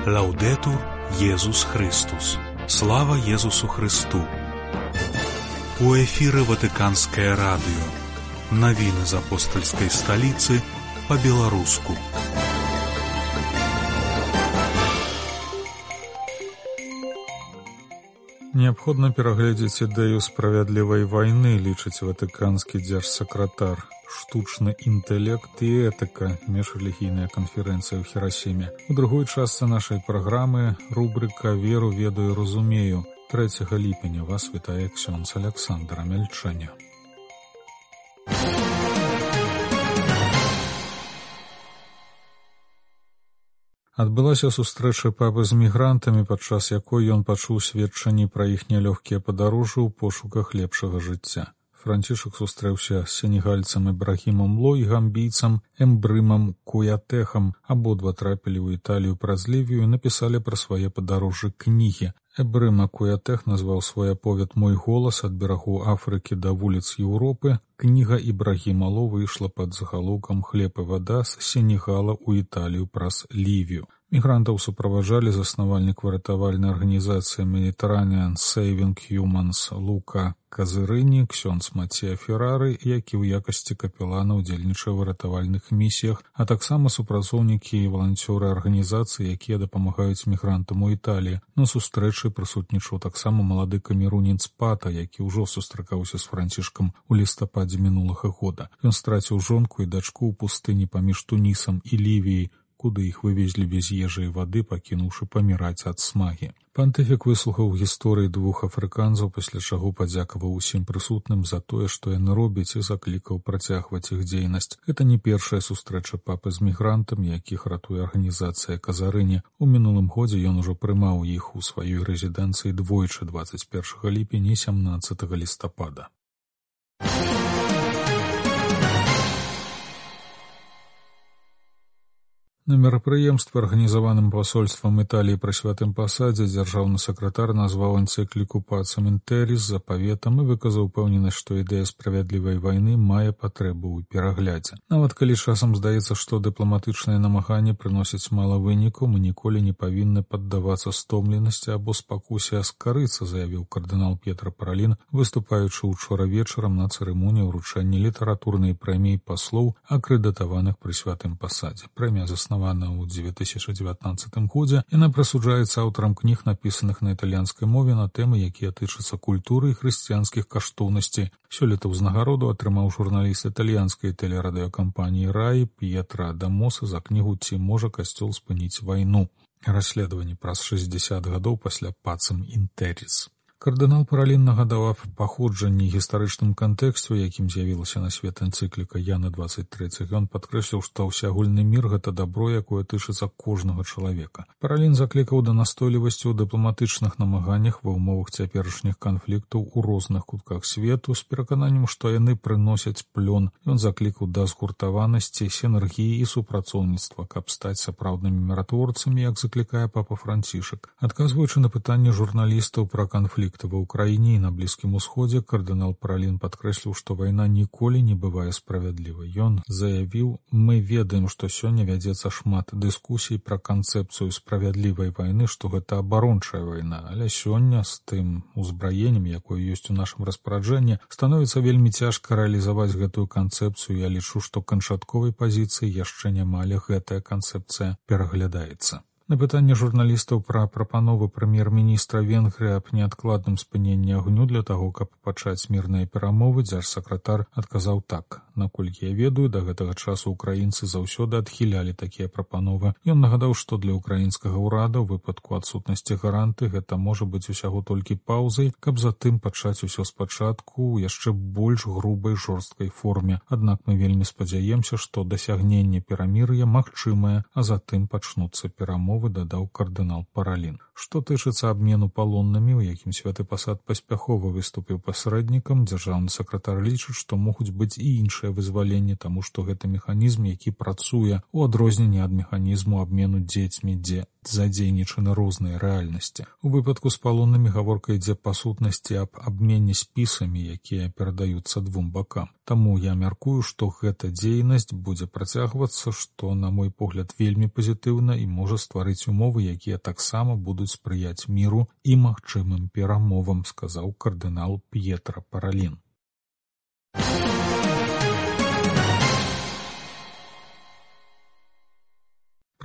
Лаўдэтур Езус Христус. Слава Езусу Христу. У эфіры Ватыканскае радыё. Навіны з апостальскай сталіцы па-беларуску. Неабходна перагледзець ідэю справядлівай вайны, лічыць ватыканскі дзяржсакратар. Штучны інтэлект і этыка. Міжрэлігійная канферэнцыя ў Хірасіме. У другой частцы нашай праграмы рубрыка «Веру, ведаю, разумею». 3 ліпеня вас вітае ксёндз Аляксандр Амельчаня. Адбылася сустрэча папы з мігрантамі, падчас якой ён пачуў сведчанні пра іх нялёгкія падарожжы ў пошуках лепшага жыцця. Францішак сустрэўся з сенегальцам Ібрагімам Ло і гамбійцам Эмбрымам Куятэхам. Абодва трапілі ў Італію праз Лівію і напісалі пра свае падарожжы кнігі. Эмбрыма Куятэх назваў свой аповед «Мой голас» ад берагу Афрыкі да вуліц Еўропы. Кніга Ібрагіма Ло выйшла пад загалоўкам «Хлеб і вада з Сенегала ў Італію праз Лівію». Мігрантаў суправаджалі заснавальнік выратавальнай арганізацыі Mediterranean Saving Humans Лука Казырыні, ксёндз Мацея Феррары, які ў якасці капелана ўдзельнічае ў выратавальных місіях, а таксама супрацоўнікі і валанцёры арганізацыі, якія дапамагаюць мігрантам у Італіі. На сустрэчы прысутнічаў таксама малады камерунец Пата, які ўжо сустракаўся з Францішкам у лістападзе мінулага года. Ён страціў жонку і дачку ў пустыні паміж Тунісам і Лівіяй, куды іх вывезлі без ежы і вады, пакінуўшы паміраць ад смагі. Пантыфік выслухаў гісторыі двух афрыканцаў, пасля чаго падзякаваў усім прысутным за тое, што яны робяць, і заклікаў працягваць іх дзейнасць. Гэта не першая сустрэча папы з мігрантамі, якіх ратуе арганізацыя Казарыні. У минулым годзе ён ужо прымаў іх у сваёй рэзідэнцыі двойчы, 21 ліпеня і 17 лістапада. На мерапрыемстве, арганізаваным пасольствам Італіі пры святым пасадзе, дзяржаўны сакратар назваў энцыкліку «Пацем інтэріс» запаветам і выказаў упэўненасць, што ідэя справядлівай вайны мае патрэбу ў пераглядзе. Нават калі часам здаецца, што дыпламатычныя намаганні прыносяць мала вынікаў, мы ніколі не павінны паддавацца стомленасці або спакусе аскарыцца, заявіў кардынал П'етра Паралін, выступаючы учора вечарам на цырымоніі ўручэння літаратурнай прэміі паслоў, акрэдытаваных пры святым пасадзе. Прэмія заснавана ў 2019 годзе. Яна прысуджаецца аўтарам кніг, напісаных на італьянскай мове на тэмы, якія тычацца культуры і хрысціянскіх каштоўнасцей. Сёлета ўзнагароду атрымаў журналіст італьянскай тэлерадыёкампаніі «Раі» П'етра Адамоса за кнігу «Ці можа касцёл спыніць вайну?» Расследаванне праз 60 гадоў пасля «Пацем інтэріс». Кардынал Паралін нагадаў аб паходжанні гістарычным кантэксце, у якім з'явілася на свет энцыкліка Яна 23. Ён падкрэсліў, што ўсеагульны мір – гэта дабро, якое тычыцца кожнага чалавека. Паралін заклікаў да настойлівасці ў дыпламатычных намаганнях ва ўмовах цяперашніх канфліктаў у розных кутках свету з перакананнем, што яны прыносяць плён. Ён заклікаў да згуртаванасці, сінергіі і супрацоўніцтва, каб стаць сапраўднымі міратворцамі, як заклікае папа Францішак. Адказваючы на пытанне журналістаў пра канфлікт ва ўкраіне і на Блізкім Усходзе, кардынал Паралін падкрэсліў, што вайна ніколі не бывае справядлівай. Ён заявіў: «Мы ведаем, што сёння вядзецца шмат дыскусій пра канцэпцыю справядлівай вайны, што гэта абарончая вайна, але сёння з тым узбраеннем, якое ёсць у нашым распараджэнні, становіцца вельмі цяжка рэалізаваць гэтую канцэпцыю. Я лічу, што канчатковай пазіцыі яшчэ няма, але гэтая канцэпцыя пераглядаецца». На пытанне журналістаў пра прапановы прэм'ер-міністра Венгрыі аб неадкладным спыненні агню для таго, каб пачаць мірныя перамовы, дзяржсакратар адказаў так: «Наколькі я ведаю, да гэтага часу украінцы заўсёды адхілялі такія прапановы». Ён нагадаў, што для украінскага ўрада ў выпадку адсутнасці гаранты гэта можа быць усяго толькі паўзай, каб затым пачаць усё спачатку ў яшчэ больш грубай жорсткай форме. Аднак мы вельмі спадзяемся, што дасягненне перамір'я магчымае, а затым пачнуцца перамовы, дадаў кардынал Паралін. Што тычыцца абмену палоннымі, у якім святы пасад паспяхова выступіў пасрэднікам, дзяржаўны сакратар лічыць, што могуць быць і іншыя ранейшае вызваленне, таму што гэта механізм, які працуе у адрозненні ад механізму абмену дзецьмі, дзе задзейнічаны розныя рэальнасці. У выпадку з палоннымі гаворка ідзе па сутнасці аб абмене спісамі, якія перадаюцца двум бакам. Таму я мяркую, што гэта дзейнасць будзе працягвацца, што, на мой погляд, вельмі пазітыўна і можа стварыць умовы, якія таксама будуць спрыяць міру і магчымым перамовам, сказаў кардынал П'етра Паралін.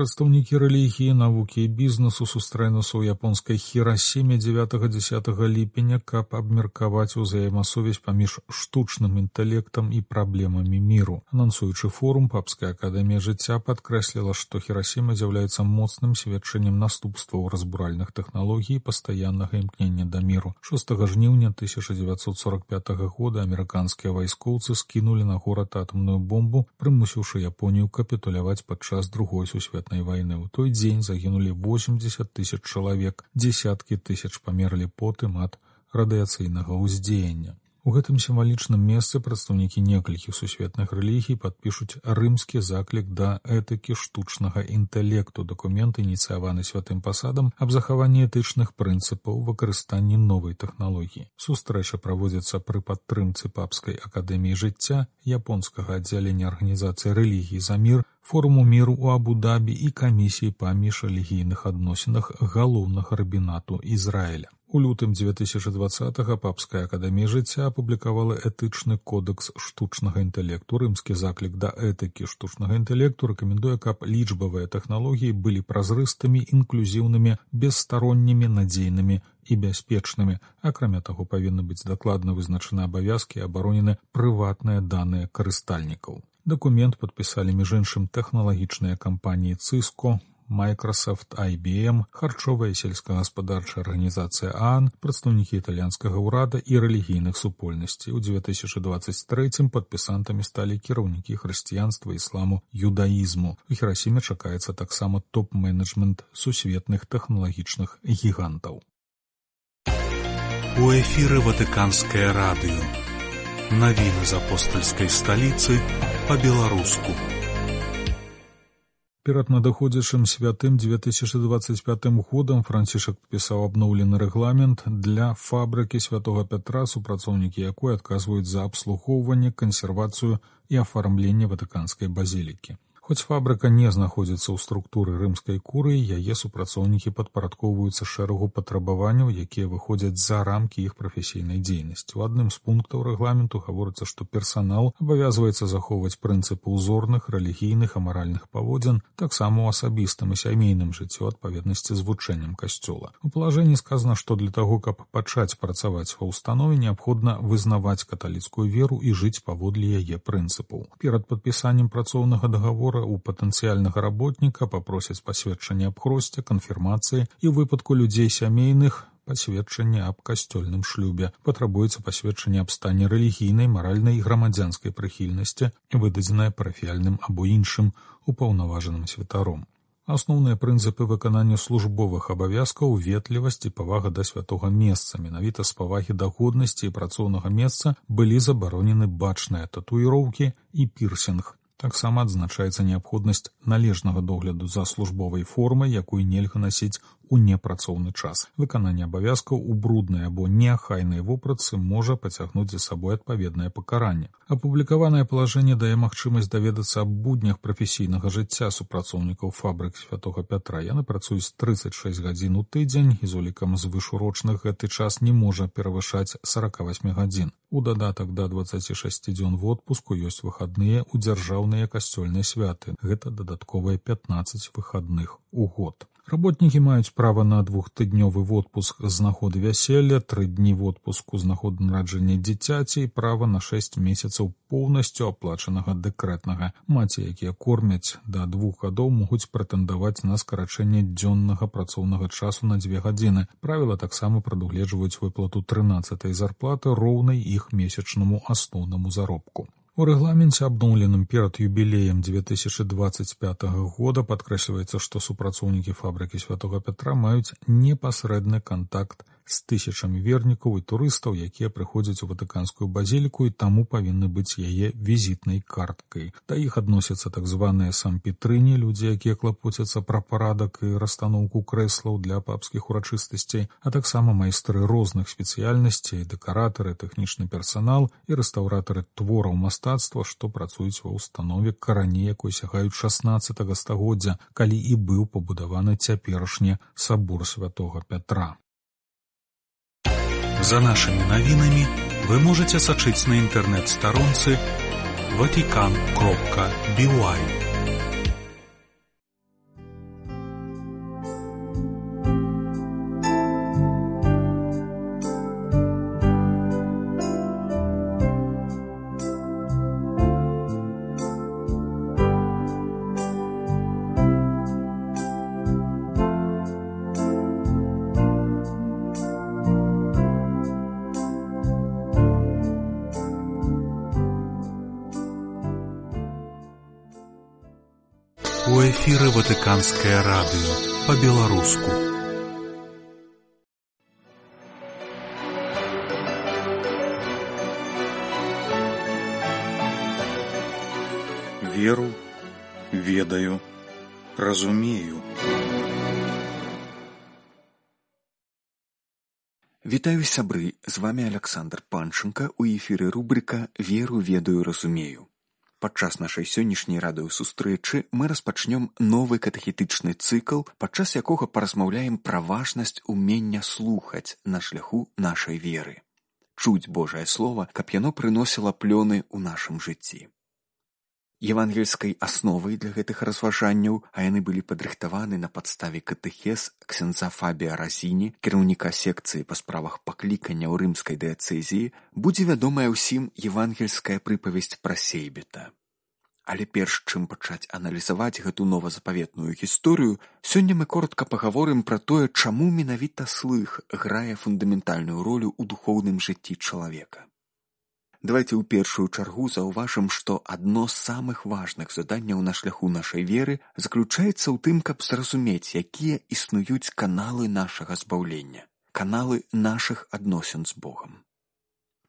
Прадстаўнікі рэлігіі, навукі і бізнесу сустрэнуцца ў японскай Хірасіме 9-10 ліпеня, каб абмеркаваць узаемасувязь паміж штучным інтэлектам і праблемамі міру. Анансуючы форум, Папская акадэмія жыцця падкрэсліла, што Хірасіма з'яўляецца моцным сведчаннем наступстваў разбуральных тэхналогій і пастаяннага імкнення да міру. 6 жніўня 1945 года амерыканскія вайскоўцы скінулі на горад атамную бомбу, прымусіўшы Японію капітуляваць падчас Другой сусветнай войны. У той дзень загінулі 80 тысяч чалавек, дзесяткі тысяч памерлі потым ад радыяцыйнага ўздзеяння. У гэтым сімвалічным месцы прадстаўнікі некалькіх сусветных рэлігій падпішуць рымскі заклік да этыкі штучнага інтэлекту, дакумент, ініцыяваны святым пасадам аб захаванні этычных прынцыпаў выкарыстанні новай тэхналогіі. Сустрэча праводзіцца пры падтрымцы Папскай акадэміі жыцця, японскага аддзялення арганізацыі рэлігій за мір, форуму міру ў Абу-Дабі і камісіі па міжрэлігійных адносінах галоўнага рабінату Ізраіля. У лютым 2020-го Папская акадэмія жыцця апублікавала этычны кодекс штучнага інтэлекту. Рымскі заклік да этыкі штучнага інтэлекту рэкамендуе, каб лічбавыя тэхналогіі былі празрыстымі, інклюзіўнымі, бесстароннімі, надзейнымі і бяспечнымі. Акрамя таго, павінны быць дакладна вызначаны абавязкі і абаронены прыватныя даныя карыстальнікаў. Дакумент падпісалі, між іншым, тэхналагічныя кампаніі Cisco, Microsoft, IBM, харчовая і сельскагаспадарчая арганізацыя ААН, прадстаўнікі італьянскага ўрада і рэлігійных супольнасцей. У 2023 падпісантамі сталі кіраўнікі хрысціянства, ісламу, юдаізму. У Хірасіме чакаецца таксама топ-менеджмент сусветных тэхналагічных гігантаў. У эфіры Ватыканскае радыё. Навіны з апостальскай сталіцы па-беларуску. Перад надыходзячым святым 2025 годам Францішак падпісаў абноўлены рэгламент для фабрыкі Святога Пятра, супрацоўнікі якой адказваюць за абслугоўванне, кансервацыю і афармленне Ватыканскай базілікі. Хоць фабрыка не знаходзіцца ў структуры рымскай курыі, яе супрацоўнікі падпарадкоўваюцца шэрагу патрабаванняў, якія выходзяць за рамкі іх прафесійнай дзейнасці. У адным з пунктаў рэгламенту гаворыцца, што персанал абавязваецца захоўваць прынцыпы ўзорных, рэлігійных, амаральных паводзін, таксама ў асабістым і сямейным жыцці ў адпаведнасці з вучэннем касцёла. У палажэнні сказана, што для таго, каб пачаць працаваць ва ўстанове, неабходна вызнаваць каталіцкую веру і жыць паводле яе прынцыпаў. Перад падпісаннем працоўнага дагавора у патэнцыяльнага работніка папросяць пасведчанне аб хросце, канфірмацыі і ў выпадку людзей сямейных пасведчанне аб касцёльным шлюбе. Патрабуецца пасведчанне аб стане рэлігійнай, маральнай і грамадзянскай прыхільнасці, выдадзенае парафіяльным або іншым упаўнаважаным святаром. Асноўныя прынцыпы выканання службовых абавязкаў, ветлівасць і павага да святога месца. Менавіта з павагі да годнасці і працоўнага месца былі забаронены бачныя татуіроўкі і пірсінг. Таксама адзначаецца неабходнасць належнага догляду за службовай формай, якую нельга насіць у непрацоўны час. Выкананне абавязкаў у бруднай або неахайнай вопратцы можа пацягнуць за сабой адпаведнае пакаранне. Апублікаванае палажэнне дае магчымасць даведацца аб буднях прафесійнага жыцця супрацоўнікаў фабрык Святога Пятра. Яны працуюць 36 гадзін у тыдзень і з улікам звышурочных гэты час не можа перавышаць 48 гадзін. У дадатак да 26 дзён водпуску ёсць выхадныя ў дзяржаўныя касцёльныя святы. Гэта дадатковыя 15 выхадных у год. Работнікі маюць права на 2-тыднёвы водпуск з нагоды вяселля, 3 дні водпуску з нагоды нараджэння дзіцяці і права на 6 месяцаў поўнасцю аплачанага дэкрэтнага. Маці, якія кормяць да 2 гадоў, могуць прэтэндаваць на скарачэнне дзённага працоўнага часу на 2 гадзіны. Правіла таксама прадугледжваюць выплату 13-й зарплаты роўнай іх месячнаму асноўнаму заробку. У рэгламенце, абноўленым перад юбілеем 2025 года, падкрэсліваецца, што супрацоўнікі фабрыкі Святога Пятра маюць непасрэдны кантакт з тысячамі вернікаў і турыстаў, якія прыходзяць у ватыканскую базіліку і таму павінны быць яе візітнай карткай. Да іх адносяцца так званыя сампетрыні, людзі, якія клапоцяцца пра парадак і расстаноўку крэслаў для папскіх урачыстасцей, а таксама майстры розных спецыяльнасцей, дэкаратары, тэхнічны персанал і рэстаўратары твораў мастацтва, што працуюць ва ўстанове, карані якой сягаюць 16 стагоддзя, калі і быў пабудаваны цяперашні сабор святога Пятра. За нашими навінамі вы можете сачыць на інтэрнэт-старонцы vatican.by. У эфіры Ватыканскае радыё па-беларуску. Веру, ведаю, разумею. Вітаю, сябры, з вами Александр Панченко, у эфіры рубрика «Веру, ведаю, разумею». Падчас нашай сённяшняй радыёсустрэчы мы распачнём новы катэхетычны цыкл, падчас якога паразмаўляем пра важнасць умення слухаць на шляху нашай веры. Чуць Божае Слова, каб яно прыносіла плёны ў нашым жыцці. Евангельскай асновай для гэтых разважанняў, а яны былі падрыхтаваны на падставе катэхез ксяндза Фабія Разіні, кіраўніка секцыі па справах паклікання ў рымскай дыяцэзіі, будзе вядомая ўсім евангельская прыпавесць пра сейбіта. Але перш чым пачаць аналізаваць гэту новазапаветную гісторыю, сёння мы коротка пагаворым пра тое, чаму менавіта слых грае фундаментальную ролю ў духоўным жыцці чалавека. Давайте ў першую чаргу заўважым, што адно з самых важных заданняў на шляху нашай веры заключаецца ў тым, каб зразумець, якія існуюць каналы нашага збаўлення, каналы нашых адносін з Богам.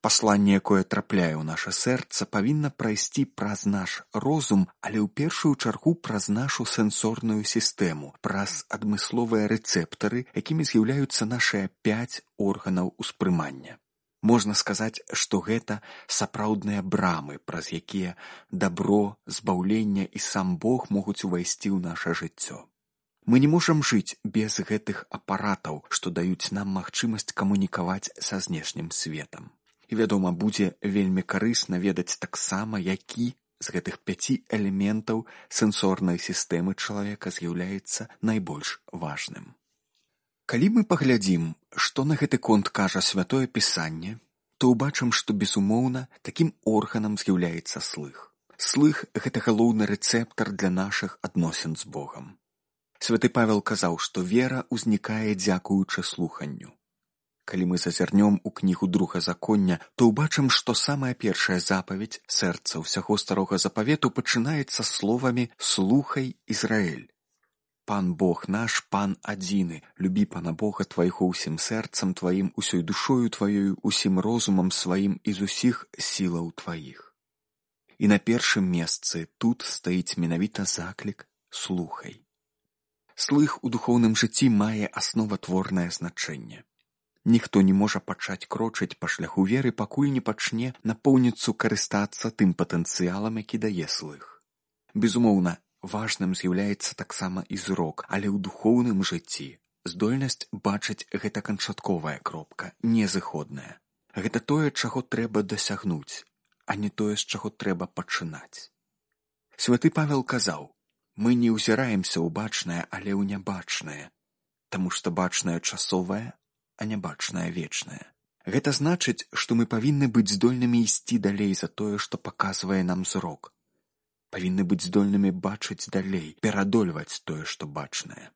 Пасланне, якое трапляе ў наша сэрца, павінна прайсці праз наш розум, але ў першую чаргу праз нашу сэнсорную сістэму, праз адмысловыя рэцэптары, якімі з'яўляюцца нашыя 5 органаў успрымання. Можна сказаць, што гэта сапраўдныя брамы, праз якія дабро, збаўлення і сам Бог могуць увайсці ў наша жыццё. Мы не можам жыць без гэтых апаратаў, што даюць нам магчымасць камунікаваць са знешнім светам. І, вядома, будзе вельмі карысна ведаць таксама, які з гэтых 5 элементаў сэнсорнай сістэмы чалавека з'яўляецца найбольш важным. Калі мы паглядзім, што на гэты конт кажа Святое Пісанне, то ўбачым, што, безумоўна, такім органам з'яўляецца слых. Слых – гэта галоўны рэцэптар для нашых адносін з Богам. Святы Павел казаў, што вера ўзнікае дзякуючы слуханню. Калі мы зазірнём у кнігу Другазаконня, то ўбачым, што самая першая запаведь сэрца ўсяго Старога Запавету пачынаецца словамі «Слухай, Ізраэль». Пан Бог наш, Пан адзіны, любі Пана Бога твайго ўсім сэрцам тваім, усёй душою тваёю, усім розумам сваім і з усіх сілаў тваіх. І на першым месцы тут стаіць менавіта заклік «Слухай». Слых у духоўным жыцці мае асноватворнае значэнне. Ніхто не можа пачаць крочыць па шляху веры, пакуль не пачне напоўніцу карыстацца тым патэнцыялам, які дае слых. Безумоўна, важным з'яўляецца таксама і зрок, але ў духоўным жыцці здольнасць бачыць гэта канчатковая кропка, незыходная. Гэта тое, чаго трэба дасягнуць, а не тое, з чаго трэба пачынаць. Святы Павел казаў, мы не ўзіраемся ў бачнае, але ў нябачнае, таму што бачнае часовае, а нябачнае вечнае. Гэта значыць, што мы павінны быць здольнымі ісці далей за тое, што паказвае нам зрок. Павінны быць здольнымі бачыць далей, перадольваць тое, што бачнае.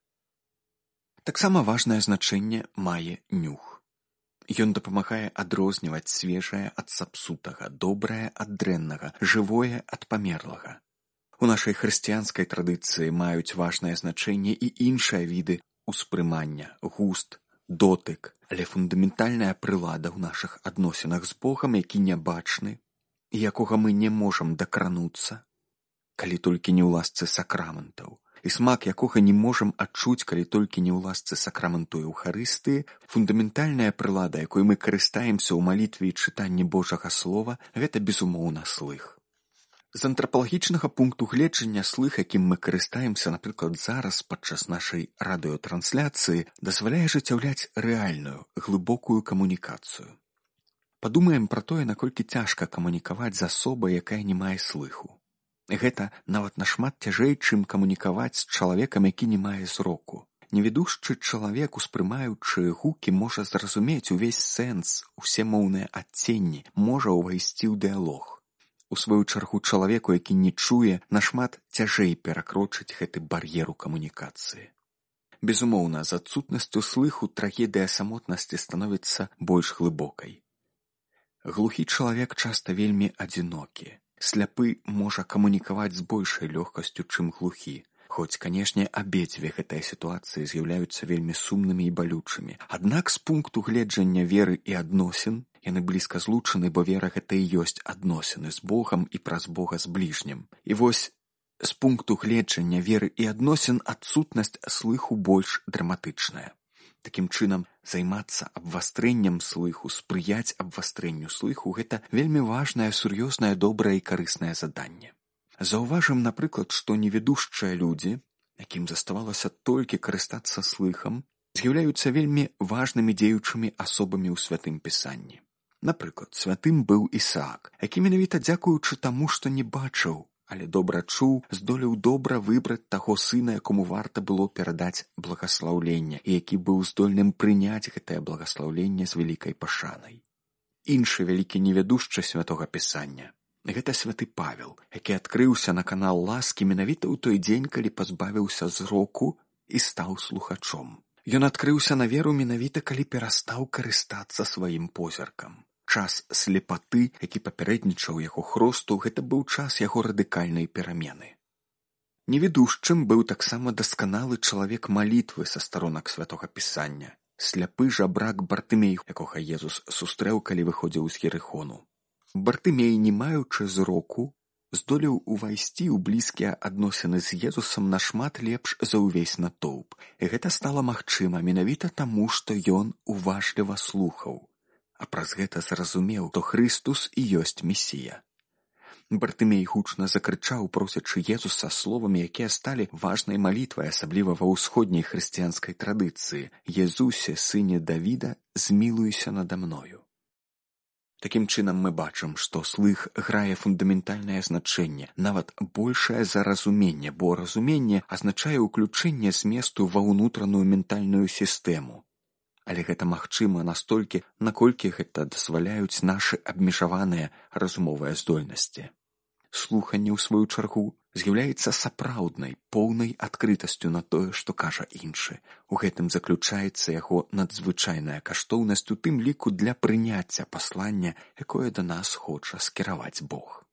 Таксама важнае значэнне мае нюх. Ён дапамагае адрозніваць свежае ад сапсутага, добрае ад дрэннага, жывое ад памерлага. У нашай хрысціянскай традыцыі маюць важнае значэнне і іншыя віды ўспрымання, густ, дотык, але фундаментальная прылада ў нашых адносінах з Богам, які нябачны і якога мы не можам дакрануцца, калі толькі не ў ласцы сакраментаў, і смак якога не можам адчуць, калі толькі не ў ласцы сакраменту Еўхарыстыі, фундаментальная прылада, якой мы карыстаемся ў малітве і чытанні Божага Слова, гэта безумоўна слых. З антрапалагічнага пункту гледжання слых, якім мы карыстаемся, напрыклад, зараз падчас нашай радыётрансляцыі, дазваляе ажыццяўляць рэальную, глыбокую камунікацыю. Падумаем пра тое, наколькі цяжка камунікаваць з асобай, якая не мае слыху. Гэта нават нашмат цяжэй, чым камунікаваць з чалавекам, які не мае зроку. Невідушчы чалавек, успрымаючы гукі, можа зразумець увесь сэнс, усе моўныя адценні, можа ўвайсці ў дыялог. У сваю чаргу чалавеку, які не чуе, нашмат цяжэй перакрочыць гэты бар'ер у камунікацыі. Безумоўна, з адсутнасцю слыху трагедыя самотнасці становіцца больш глыбокай. Глухі чалавек часта вельмі адзінокі. Сляпы можа камунікаваць з большай лёгкасцю, чым глухі. Хоць, канешне, абедзве гэтыя сітуацыі з'яўляюцца вельмі сумнымі і балючымі. Аднак з пункту гледжання веры і адносін яны блізка злучаны, бо вера гэта і ёсць адносіны з Богам і праз Бога з бліжнім. І вось з пункту гледжання веры і адносін адсутнасць слыху больш драматычная. Такім чынам, займацца абвастрэннем слыху, спрыяць абвастрэнню слыху – гэта вельмі важнае, сур'ёзнае, добрае і карыснае заданне. Заўважым, напрыклад, што невідушчыя людзі, якім заставалася толькі карыстацца слыхам, з'яўляюцца вельмі важнымі дзеючымі асобамі ў Святым Пісанні. Напрыклад, святым быў Ісаак, які менавіта дзякуючы таму, што не бачыў, але добра чуў, здолеў добра выбраць таго сына, якому варта было перадаць благаслаўленне, і які быў здольным прыняць гэтае благаслаўленне з вялікай пашанай. Іншы вялікі невядушчы Святога Пісання – гэта святы Павел, які адкрыўся на канал ласкі менавіта ў той дзень, калі пазбавіўся зроку і стаў слухачом. Ён адкрыўся на веру менавіта, калі перастаў карыстацца сваім позіркам. Час слепаты, які папярэднічаў яго хросту, гэта быў час яго радыкальнай перамены. Невідушчым быў таксама дасканалы чалавек малітвы са старонак Святога Пісання, сляпы жабрак Бартымей, якога Езус сустрэў, калі выходзіў з Ерыхону. Бартымей, не маючы зроку, здолеў увайсці ў блізкія адносіны з Езусам нашмат лепш за ўвесь натоўп. І гэта стала магчыма менавіта таму, што ён уважліва слухаў. А праз гэта зразумеў, што Хрыстус і ёсць Месія. Бартымей гучна закрычаў, просячы Езуса словамі, якія сталі важнай малітвай, асабліва ва ўсходняй хрысціянскай традыцыі: «Езусе, сыне Давіда, змілуйся нада мною». Такім чынам мы бачым, што слых грае фундаментальнае значэнне, нават большае за разуменне, бо разуменне азначае ўключэнне зместу ва ўнутраную ментальную сістэму. Але гэта магчыма настолькі, наколькі гэта дазваляюць нашы абмежаваныя разумовыя здольнасці. Слуханне, у сваю чаргу, з'яўляецца сапраўднай, поўнай адкрытасцю на тое, што кажа іншы. У гэтым заключаецца яго надзвычайная каштоўнасць, у тым ліку для прыняцця паслання, якое да нас хоча скіраваць Бог.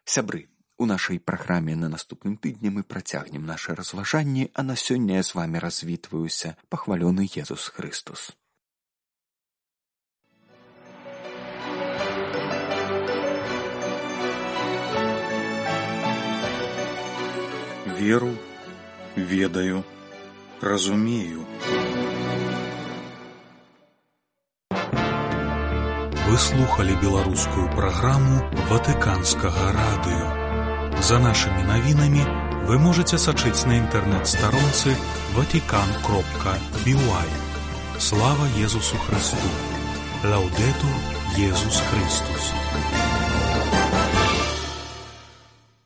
Сябры, у нашай праграме на наступным тыдні мы працягнем нашы разважанні, а на сёння я з вамі развітваюся. Пахвалёны Езус Хрыстус. Веру, ведаю, разумею. Вы слухали беларускую праграму Ватыканскага радыё. За нашымі навінамі вы можаце сачыць на інтэрнэт-старонцы vatican.by. Слава Езусу Христу! Лаўдэтур Езус Христус!